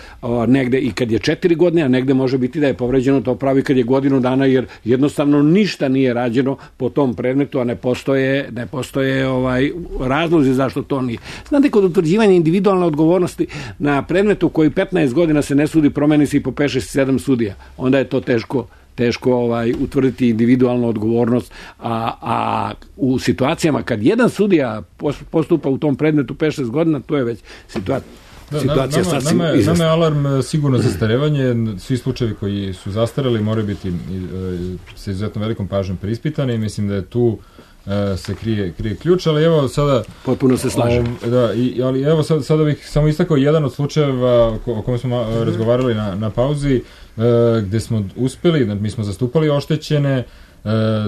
negde i kad je 4 godine, a negde može biti da je povređeno to pravo i kad je godinu dana, jer jednostavno ništa nije rađeno po tom predmetu, a ne postoje razlozi zašto to nije. Znate, kod utvrđivanja individualne odgovornosti na predmetu koji 15 godina se ne sudi, promeni se i po 5-6-7 sudija. Onda je to teško utvrditi individualnu odgovornost, a u situacijama kad jedan sudija postupa u tom predmetu 5-6 godina, to je već situacija sasvim izvesna. Nama je alarm sigurno zastarevanje. Svi slučajevi koji su zastarali moraju biti sa izuzetno velikom pažnjom preispitani i mislim da je tu se krije ključ, ali evo sada... Potpuno se slažem. Ali evo sada bih samo istakao jedan od slučajeva o kojem smo razgovarali na pauzi, gde smo uspeli, mi smo zastupali oštećene,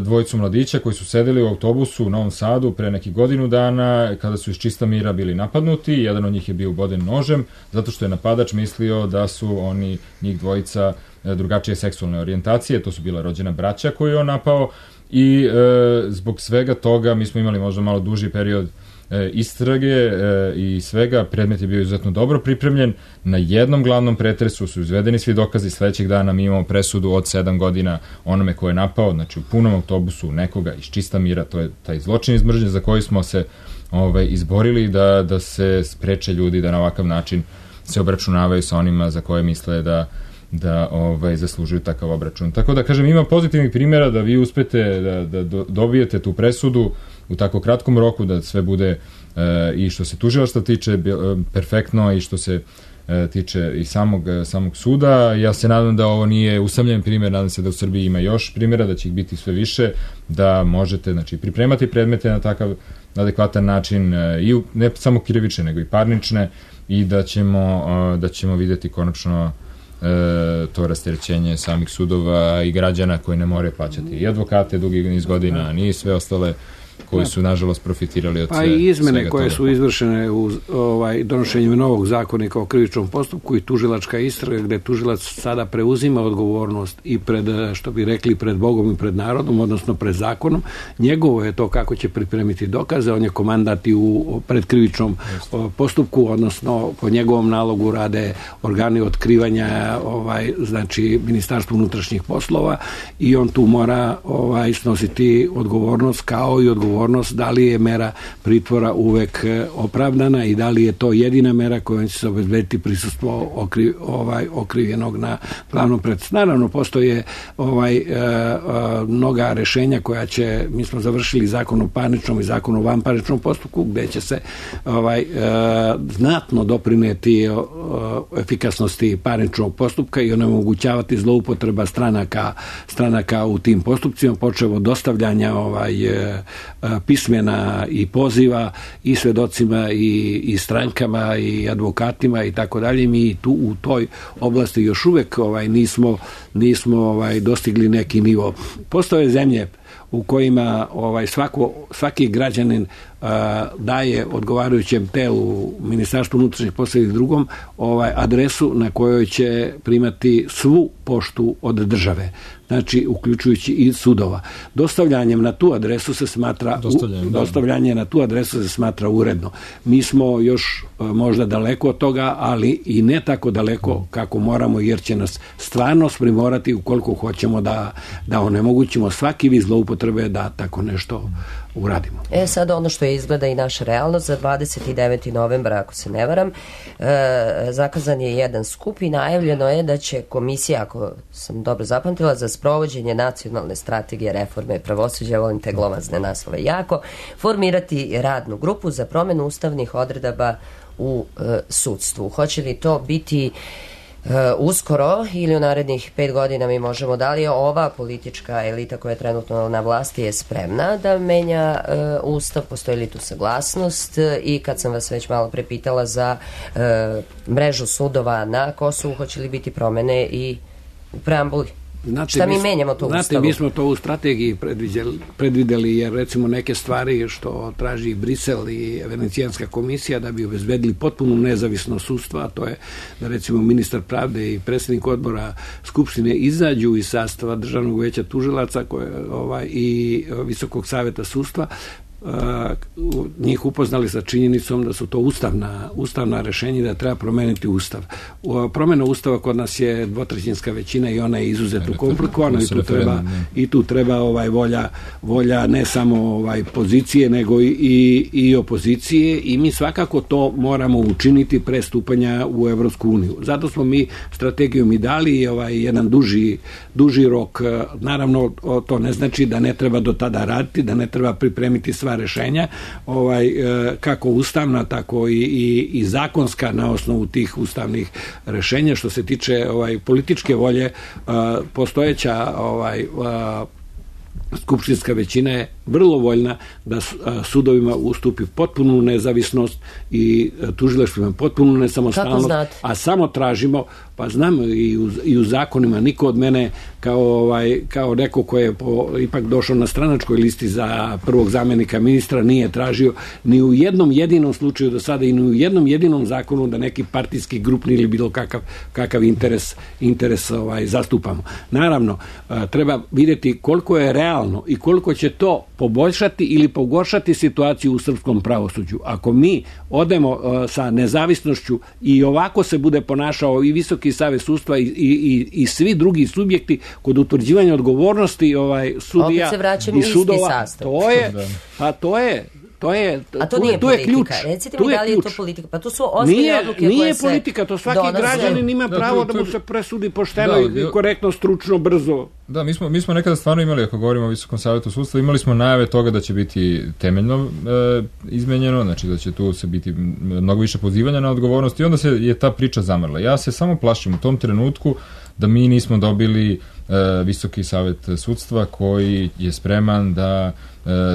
dvojicu mladića koji su sedeli u autobusu u Novom Sadu pre nekih godinu dana kada su iz čista mira bili napadnuti. Jedan od njih je bio uboden nožem zato što je napadač mislio da su njih dvojica drugačije seksualne orijentacije. To su bila rođena braća koju je on napao i zbog svega toga mi smo imali možda malo duži period istrage i svega. Predmet je bio izuzetno dobro pripremljen. Na jednom glavnom pretresu su izvedeni svi dokazi. Sledećeg dana mi imamo presudu od 7 godina onome ko je napao, znači u punom autobusu nekoga iz čista mira. To je taj zločin iz mržnje za koji smo se izborili da se spreče ljudi da na ovakav način se obračunavaju sa onima za koje misle da zaslužuju takav obračun. Tako da, kažem, ima pozitivnih primjera da vi uspete da dobijete tu presudu u tako kratkom roku, da sve bude i što se tužilaštva tiče perfektno i što se tiče i samog suda. Ja se nadam da ovo nije usamljen primjer, nadam se da u Srbiji ima još primjera, da će ih biti sve više, da možete pripremati predmete na takav adekvatan način, i ne samo krivične, nego i parnične, i da ćemo vidjeti konačno to rasterećenje samih sudova i građana koji ne moraju plaćati i advokate dugi niz godina, ni sve ostale koji su nažalost profitirali od svega toga. Pa i izmene koje su izvršene u donošenjem novog zakonika o krivičnom postupku i tužilačka istraga, gde tužilac sada preuzima odgovornost i pred, što bi rekli, pred Bogom i pred narodom, odnosno pred zakonom. Njegovo je to kako će pripremiti dokaze, on je komandant i u predkrivičnom postupku, odnosno po njegovom nalogu rade organi otkrivanja, znači Ministarstvo unutrašnjih poslova, i on tu mora snositi odgovornost, kao i odgovornost da li je mera pritvora uvek opravdana i da li je to jedina mera kojom će se obezbediti prisustvo okrivljenog na glavnom predmetu. Naravno, postoje mnoga rešenja koja će, mi smo završili zakon o parničnom i zakon o vanparničnom postupku, gde će se znatno doprineti efikasnosti parničnog postupka i onemogućavati zloupotreba stranaka u tim postupcima, počev od dostavljanja pismena i poziva i svedocima i strankama i advokatima i tako dalje. Mi tu u toj oblasti još uvek nismo dostigli neki nivo. Postoje zemlje u kojima svaki građanin daje odgovarajućem telu, Ministarstvu unutrašnjih poslova i drugom, adresu na kojoj će primati svu poštu od države, znači uključujući i sudova. Dostavljanjem na tu adresu se smatra uredno. Mi smo još možda daleko od toga, ali i ne tako daleko kako moramo, jer će nas stvarno primorati ukoliko hoćemo da onemogućimo svaki vid zloupotrebe da tako nešto uradimo. Sad ono što je izgleda i naša realnost, za 29. novembra, ako se ne varam, zakazan je jedan skup i najavljeno je da će komisija, ako sam dobro zapamtila, za sprovođenje nacionalne strategije reforme pravosuđa, volim te glomazne naslove jako, formirati radnu grupu za promenu ustavnih odredaba u sudstvu. Hoće li to biti uskoro ili u narednih 5 godina, mi možemo, da li je ova politička elita koja je trenutno na vlasti je spremna da menja ustav, postoji li tu saglasnost? I kad sam vas već malo prepitala za mrežu sudova na Kosovu, hoće li biti promene i u preambuli? Šta mi menjamo to u Ustavu? Znate, mi smo to u strategiji predvideli, jer recimo neke stvari što traži Brisel i Venecijanska komisija da bi obezbedili potpunu nezavisnost sudstva, a to je da recimo ministar pravde i predsjednik odbora Skupštine izađu iz sastava Državnog veća tužilaca i Visokog saveta sudstva, njih upoznali sa činjenicom da su to ustavna rešenja i da treba promeniti Ustav. Promjena Ustava kod nas je dvotrećinska većina i ona je izuzetno komplikovana i tu treba volja ne samo pozicije nego i opozicije, i mi svakako to moramo učiniti pre stupanja u Evropsku uniju. Zato smo mi strategijom i dali jedan duži rok. Naravno, to ne znači da ne treba do tada raditi, da ne treba pripremiti sva rešenja, kako ustavna, tako i zakonska na osnovu tih ustavnih rešenja. Što se tiče političke volje, postojeća skupštinska većina je vrlo voljna da sudovima ustupi potpunu nezavisnost i tužilaštvima potpunu nesamostalnost, a samo tražimo, pa znam i u zakonima, niko od mene kao neko ko je ipak došao na stranačkoj listi za prvog zamjenika ministra nije tražio ni u jednom jedinom slučaju do sada i ni u jednom jedinom zakonu da neki partijski grupni ili bilo kakav interes zastupamo. Naravno, treba vidjeti koliko je realno i koliko će to poboljšati ili pogoršati situaciju u srpskom pravosuđu. Ako mi odemo sa nezavisnošću i ovako se bude ponašao i Visoki savet sudstva i svi drugi subjekti kod utvrđivanja odgovornosti sudija i sudova, to nije politika. Recite mi da li je to politika? Pa to su ozbiljne odluke koje se Nije politika, to svaki građanin ima pravo da mu se presudi pošteno i korektno, stručno, brzo. Da, mi smo nekada stvarno imali, ako govorimo o Visokom savetu sudstva, imali smo najave toga da će biti temeljno izmenjeno, znači da će tu se biti mnogo više pozivanja na odgovornost, i onda je ta priča zamrla. Ja se samo plašim u tom trenutku da mi nismo dobili Visoki savet sudstva koji je spreman da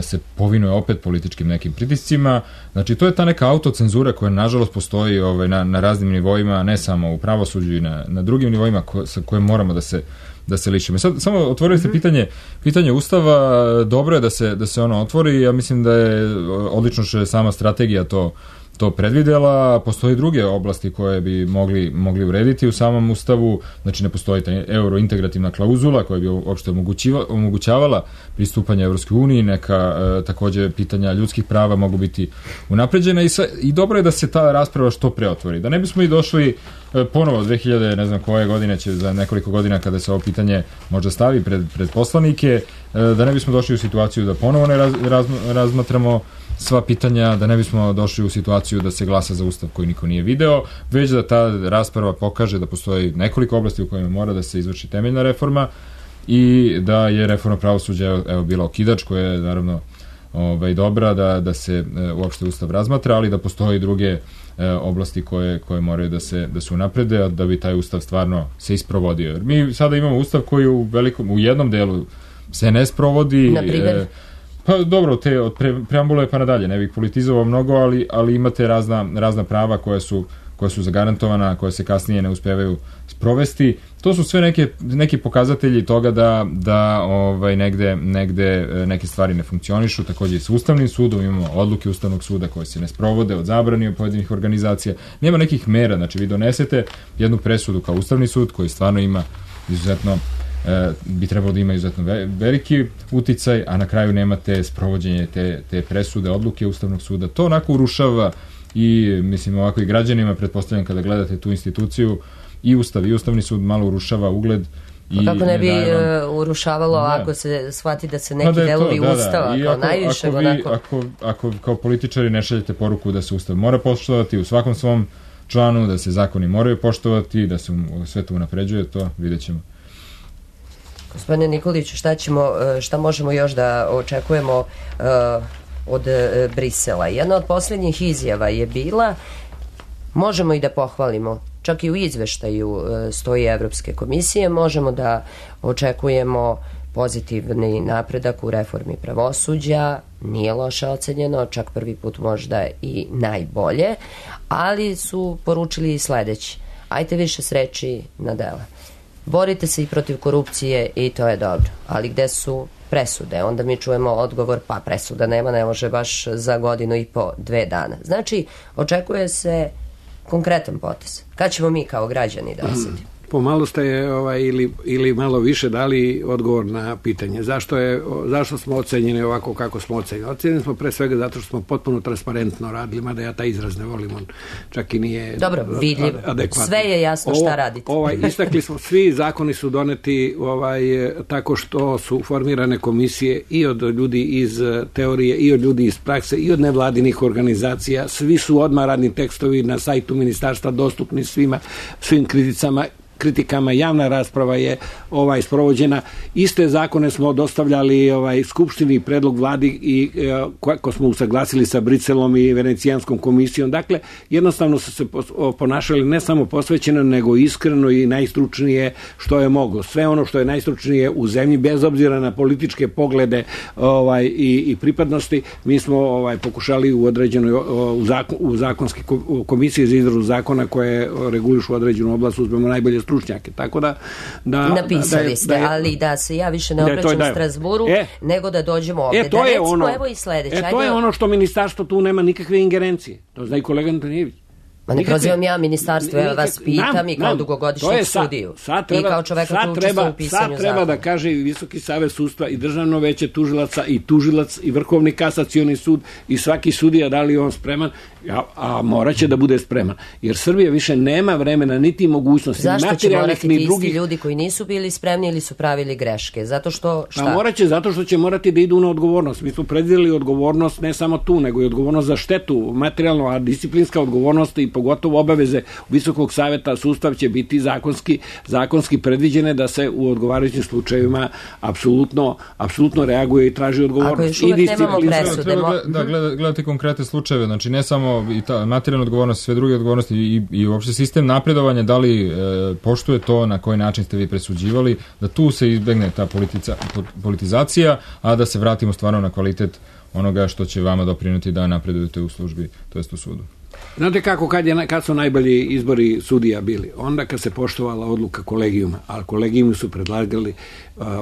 se povinuje opet političkim nekim pritiscima. Znači, to je ta neka autocenzura koja nažalost postoji na raznim nivoima, ne samo u pravosuđu i na drugim nivoima sa kojim moramo da se lišimo. Sad, samo otvorili ste pitanje Ustava, dobro je da se ono otvori, ja mislim da je odlično što je sama strategija to predvidela. Postoji druge oblasti koje bi mogli urediti u samom Ustavu, znači ne postoji ta eurointegrativna klauzula koja bi uopšte omogućavala pristupanje Evropskoj uniji, neka takođe pitanja ljudskih prava mogu biti unapređena i dobro je da se ta rasprava što pre otvori. Da ne bismo i došli ponovo 2000, ne znam koje godine, će za nekoliko godina kada se ovo pitanje možda stavi pred poslanike, da ne bismo došli u situaciju da ponovo ne razmatramo sva pitanja, da ne bismo došli u situaciju da se glasa za Ustav koji niko nije video, već da ta rasprava pokaže da postoji nekoliko oblasti u kojima mora da se izvrši temeljna reforma i da je reforma pravosuđa bila okidač koja je naravno dobra da se uopšte Ustav razmatra, ali da postoji druge oblasti koje moraju da se unaprede, a da bi taj Ustav stvarno se isprovodio. Mi sada imamo Ustav koji u jednom delu se ne sprovodi. Na primjer? Pa dobro, od preambule pa nadalje, ne bih politizovao mnogo, ali imate razna prava koja su zagarantovana, koje se kasnije ne uspevaju sprovesti. To su sve neki pokazatelji toga da negde neke stvari ne funkcionišu. Takođe i sa Ustavnim sudom imamo odluke Ustavnog suda koje se ne sprovode, od zabrani od pojedinih organizacija. Nema nekih mera, znači vi donesete jednu presudu kao Ustavni sud koji stvarno ima izuzetno bi trebalo da ima izuzetno veliki uticaj, a na kraju nemate sprovođenje te presude, odluke Ustavnog suda. To onako urušava i, mislim, ovako i građanima, pretpostavljam kada gledate tu instituciju, i Ustav i Ustavni sud malo urušava ugled. Kako ne bi urušavalo ako se shvati da se neki delovi Ustava kao najviše ako kao političari ne šaljete poruku da se Ustav mora poštovati u svakom svom članu, da se zakoni moraju poštovati, da se sve to unapređuje, to vidjet ćemo. Gospodine Nikoliću, šta možemo još da očekujemo od Brisela? Jedna od posljednjih izjava je bila, možemo i da pohvalimo, čak i u izveštaju stoji Evropske komisije, možemo da očekujemo pozitivni napredak u reformi pravosuđa, nije loše ocenjeno, čak prvi put možda i najbolje, ali su poručili i sledeći. Ajte više s reči na dela. borite se i protiv korupcije i to je dobro, ali gde su presude? Onda mi čujemo odgovor, pa presuda nema, ne može baš za 1.5-2 dana. Znači, očekuje se konkretan potez. Kad ćemo mi kao građani da osetimo? Pomalo ste ili malo više dali odgovor na pitanje. Zašto smo ocenjeni ovako kako smo ocenjeni? Ocenjeni smo pre svega zato što smo potpuno transparentno radili, mada ja taj izraz ne volim, on čak i nije vidljivo. Adekvatno. Sve je jasno šta radite. Istakli smo, svi zakoni su doneti tako što su formirane komisije i od ljudi iz teorije, i od ljudi iz prakse, i od nevladinih organizacija. Svi su odmah radni tekstovi na sajtu ministarstva dostupni svim kritikama, javna rasprava je sprovođena. Iste zakone smo dostavljali Skupštini, predlog vladi i kako smo usaglasili sa Briselom i Venecijanskom komisijom. Dakle, jednostavno su se ponašali ne samo posvećeno, nego iskreno i najstručnije što je moglo. Sve ono što je najstručnije u zemlji, bez obzira na političke poglede i pripadnosti, mi smo pokušali u određenoj u zakonski komisiji za izradu zakona koje regulišu određenu oblast, uzmemo najbolje stručnjake, tako da napisali ste, ali da se ja više ne obraćam u Strasburu, nego da dođemo ovdje. To je recimo, evo i sledeće. To je ono što ministarstvo tu nema nikakve ingerencije. To zna i kolega Antonijević. Ma ne prozivam ja ministarstvo, ja vas pitam i kao dugogodišnjeg sudiju. I kao čoveka koji učestvuje u pisanju zakona. Sad treba da kaže i Visoki savet sudstva i Državno veće tužilaca i tužilac i Vrhovni kasacioni sud i svaki sudija da li je on spreman, a morat će da bude spreman. Jer Srbija više nema vremena niti mogućnosti. Zašto će morati ti isti ljudi koji nisu bili spremni ili su pravili greške? Zato što šta? A morat će zato što će morati da idu na odgovornost. Mi smo predvideli odgovornost ne samo tu, nego i odgovornost za štetu materijalno, a disciplinska odgovornost i pogotovo obaveze Visokog saveta sudstva će biti zakonski predviđene da se u odgovarajućim slučajevima apsolutno reaguje i traži odgovornost. Ako još uvek nemamo presude. Da, gledati konkretne slučajeve, znači ne samo i ta materijalna odgovornost, sve druge odgovornosti i uopšte sistem napredovanja, da li poštuje to na koji način ste vi presuđivali, da tu se izbegne ta politizacija, a da se vratimo stvarno na kvalitet onoga što će vama doprineti da napredujete u službi, to jest u sudu. Znate kako, kad su najbolji izbori sudija bili? Onda kad se poštovala odluka kolegijuma, ali kolegijumi su predlagali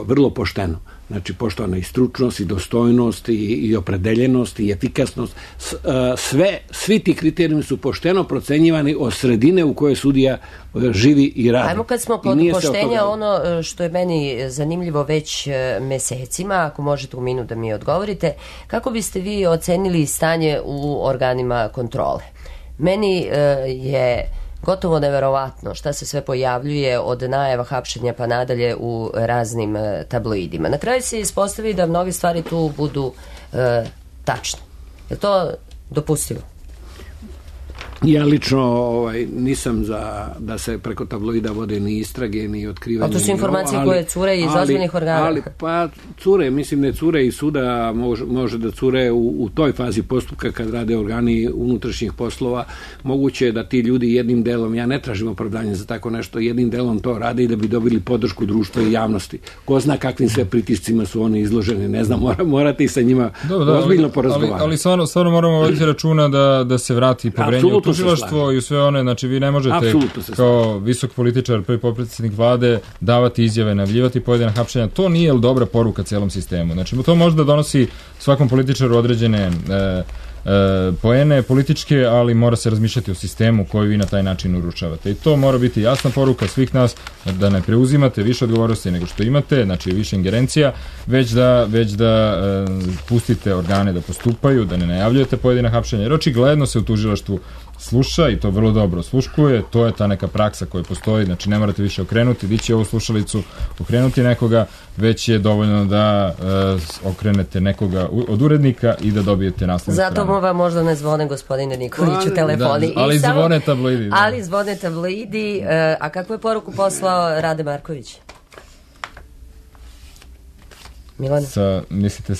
vrlo pošteno. Znači, poštovana i stručnost, i dostojnost, i opredeljenost, i efikasnost. Svi ti kriterijumi su pošteno procenjivani od sredine u kojoj sudija živi i radi. Ajmo kad smo kod poštenja, ono što je meni zanimljivo već mesecima, ako možete u minut da mi odgovorite, kako biste vi ocenili stanje u organima kontrole? Meni je gotovo neverovatno šta se sve pojavljuje od najava hapšenja pa nadalje u raznim tabloidima. Na kraju se ispostavi da mnoge stvari tu budu tačne. Je to dopustivo? Ja lično nisam za da se preko tabloida vode ni istrage, ni otkrivanje. A to su informacije koje cure iz ozbiljnih organa. Pa cure, mislim ne cure i suda, može da cure u toj fazi postupka kad rade organi unutrašnjih poslova. Moguće je da ti ljudi jednim delom, ja ne tražim opravdanje za tako nešto, jednim delom to rade i da bi dobili podršku društva i javnosti. Ko zna kakvim sve pritiscima su oni izloženi, ne znam, morate i sa njima ozbiljno porazgovarati. Ali stvarno moramo voditi računa da se vrati poverenje u tužilaštvo i u sve one, znači vi ne možete kao visok političar, prvi potpredsjednik vlade davati izjave, najavljivati pojedina hapšenja, to nije dobra poruka celom sistemu. Znači to možda donosi svakom političaru određene poene političke, ali mora se razmišljati o sistemu koji vi na taj način uručavate. I to mora biti jasna poruka svih nas, da ne preuzimate više odgovornosti nego što imate, znači više ingerencija, već da pustite organe da postupaju, da ne najavljujete pojedina hapšenja, jer očigledno se u tužilaštvu sluša i to vrlo dobro osluškuje, to je ta neka praksa koja postoji, znači ne morate više okrenuti, dići ovu slušalicu, okrenuti nekoga, već je dovoljno da okrenete nekoga od urednika i da dobijete naslovnu stranu. Zato vam možda ne zvone, gospodine Nikoliću, telefoni. Da, ali zvone tabloidi. Ali zvone tabloidi. A kakvu je poruku poslao Rade Marković? Milane? Mislite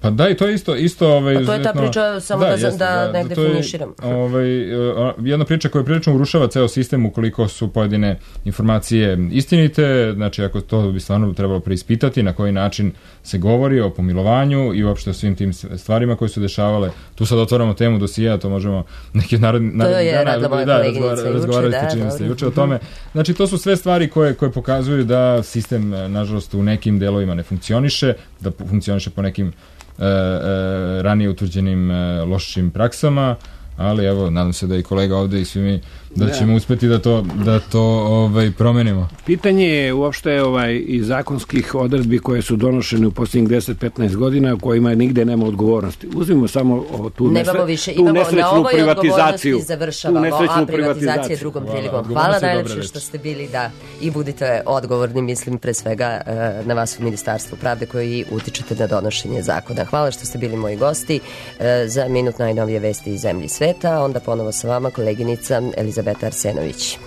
pa da, i to je isto pa to je ta priča, samo da negde finiširam. Jedna priča koja prilično urušava ceo sistem ukoliko su pojedine informacije istinite, znači ako to bi stvarno trebalo preispitati na koji način se govori o pomilovanju i uopšte o svim tim stvarima koje su dešavale. Tu sad otvaramo temu dosija, to možemo neki naredni dana razgovarati, čini se juče o tome. Znači to su sve stvari koje pokazuju da sistem, nažalost, u nekim delovima ne funkcioniše, da funkcioniše po nekim ranije utvrđenim lošim praksama, ali evo, nadam se da i kolega ovde i svi mi da ćemo uspeti da to promenimo. Pitanje je uopšte i zakonskih odredbi koje su donošene u posljednjih 10-15 godina u kojima nigde nema odgovornosti. Uzmimo samo tu nesrećnu privatizaciju. Završavamo, a privatizacija drugom prilikom. Hvala najlepše što ste bili i budite odgovorni, mislim pre svega na vas u Ministarstvu pravde koji utičete na donošenje zakona. Hvala što ste bili moji gosti za minut najnovije vesti iz zemlji i sveta. Onda ponovo sa vama koleginica Elizabeta Arsenović.